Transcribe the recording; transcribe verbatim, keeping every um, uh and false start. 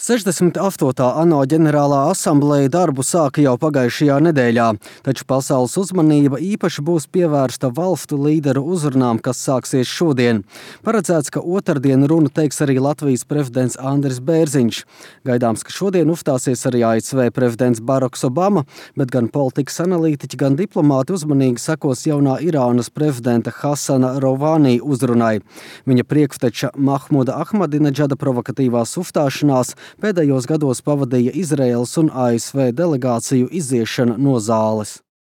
sešdesmit astotā ANO ģenerālā asambleja darbu sāka jau pagājušajā nedēļā, taču pasaules uzmanība īpaši būs pievērsta valstu līderu uzrunām, kas sāksies šodien. Paredzēts, ka otrdien runu teiks arī Latvijas prezidents Andris Bērziņš. Gaidāms, ka šodien uzstāsies arī A S V prezidents Baraks Obama, bet gan politikas analītiķi, gan diplomāti uzmanīgi sekos jaunā Irānas prezidenta Hasana Rouhani uzrunai. Viņa priekšteča Mahmuda Ahmadinedžada provokatīvās uzstāšanās pēdējos gados pavadīja Izraēlas un A S V delegāciju iziešana no zāles.